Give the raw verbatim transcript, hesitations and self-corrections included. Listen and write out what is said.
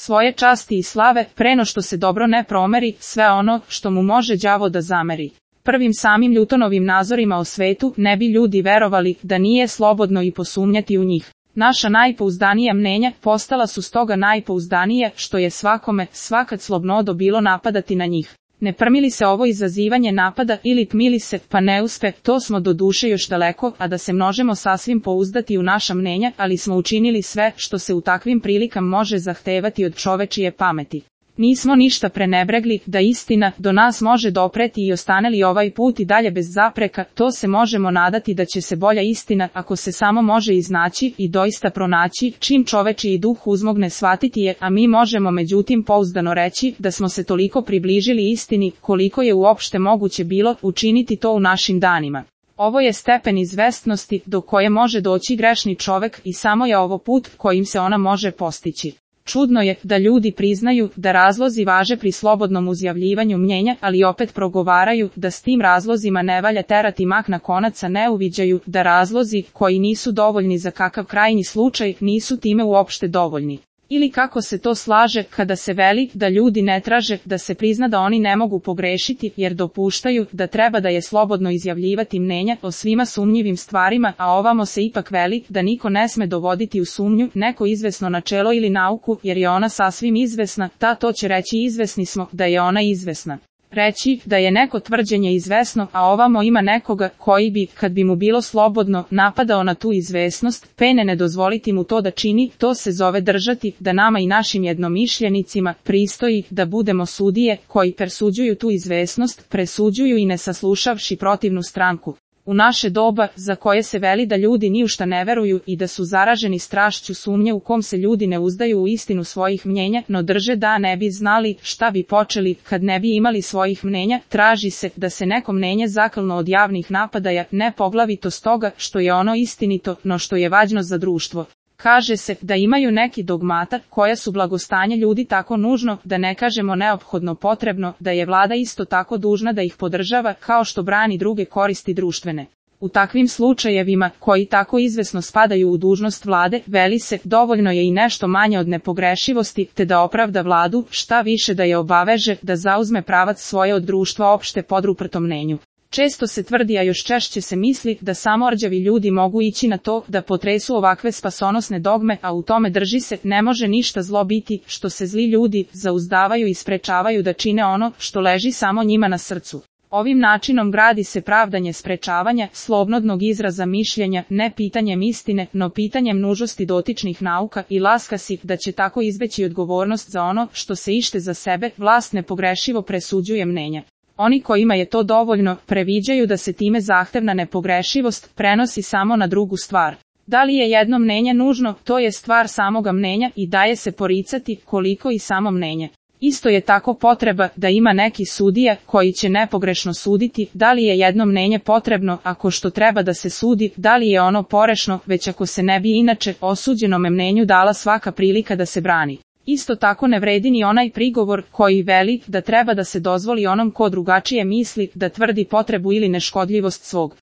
svoje časti i slave, preno što se dobro ne promeri sve ono što mu može đavo da zameri. Prvim samim Newtonovim nazorima o svetu ne bi ljudi verovali da nije slobodno i posumnjati u njih. Naša najpouzdanija mnenja postala su stoga najpouzdanije, što je svakome, svakad slobodno bilo napadati na njih. Ne prmili se ovo izazivanje napada ili tmili se, pa ne uspe, to smo do duše još daleko, a da se možemo sasvim pouzdati u naša mnenja, ali smo učinili sve što se u takvim prilikama može zahtevati od čovečije pameti. Nismo ništa prenebregli, da istina do nas može dopreti i ostane li ovaj put i dalje bez zapreka, to se možemo nadati da će se bolja istina, ako se samo može iznaći i doista pronaći, čim čovečiji duh uzmogne shvatiti je, a mi možemo međutim pouzdano reći da smo se toliko približili istini, koliko je uopšte moguće bilo učiniti to u našim danima. Ovo je stepen izvestnosti do koje može doći grešni čovek i samo je ovo put kojim se ona može postići. Čudno je da ljudi priznaju da razlozi važe pri slobodnom uzjavljivanju mnjenja, ali opet progovaraju da s tim razlozima ne valja terati mak na konac, a ne uviđaju da razlozi koji nisu dovoljni za kakav krajnji slučaj nisu time uopšte dovoljni. Ili kako se to slaže kada se veli da ljudi ne traže da se prizna da oni ne mogu pogrešiti jer dopuštaju da treba da je slobodno izjavljivati mnenja o svima sumnjivim stvarima, a ovamo se ipak veli da niko ne sme dovoditi u sumnju neko izvesno načelo ili nauku jer je ona sasvim izvesna, ta to će reći izvesni smo da je ona izvesna. Reći da je neko tvrđenje izvesno, a ovamo ima nekoga koji bi, kad bi mu bilo slobodno, napadao na tu izvesnost, pene ne dozvoliti mu to da čini, to se zove držati da nama i našim jednomišljenicima pristoji da budemo sudije koji presuđuju tu izvesnost, presuđuju i ne saslušavši protivnu stranku. U naše doba, za koje se veli da ljudi ni u šta ne veruju i da su zaraženi strašću sumnje u kom se ljudi ne uzdaju u istinu svojih mnjenja, no drže da ne bi znali šta bi počeli kad ne bi imali svojih mnenja, traži se da se neko mnenje zaklno od javnih napadaja, ne poglavito stoga što je ono istinito, no što je važno za društvo. Kaže se da imaju neki dogmata koja su blagostanje ljudi tako nužno, da ne kažemo neophodno potrebno, da je vlada isto tako dužna da ih podržava kao što brani druge koristi društvene. U takvim slučajevima, koji tako izvesno spadaju u dužnost vlade, veli se dovoljno je i nešto manje od nepogrešivosti, te da opravda vladu, šta više da je obaveže da zauzme pravac svoje od društva opšte podruprtom mnenju. Često se tvrdi, a još češće se misli, da samo orđavi ljudi mogu ići na to da potresu ovakve spasonosne dogme, a u tome drži se, ne može ništa zlo biti, što se zli ljudi zauzdavaju i sprečavaju da čine ono što leži samo njima na srcu. Ovim načinom gradi se pravdanje sprečavanja, slobodnog izraza mišljenja, ne pitanjem istine, no pitanjem nužnosti dotičnih nauka i laska si da će tako izbeći odgovornost za ono što se ište za sebe, vlast nepogrešivo presuđuje mnenja. Oni kojima je to dovoljno, previđaju da se time zahtevna nepogrešivost prenosi samo na drugu stvar. Da li je jedno mnenje nužno, to je stvar samoga mnenja i daje se poricati koliko i samo mnenje. Isto je tako potreba da ima neki sudija koji će nepogrešno suditi, da li je jedno mnenje potrebno ako što treba da se sudi, da li je ono porešno, već ako se ne bi inače osuđenome mnenju dala svaka prilika da se brani. Isto tako ne vredi ni onaj prigovor koji veli da treba da se dozvoli onom ko drugačije misli da tvrdi potrebu ili neškodljivost svog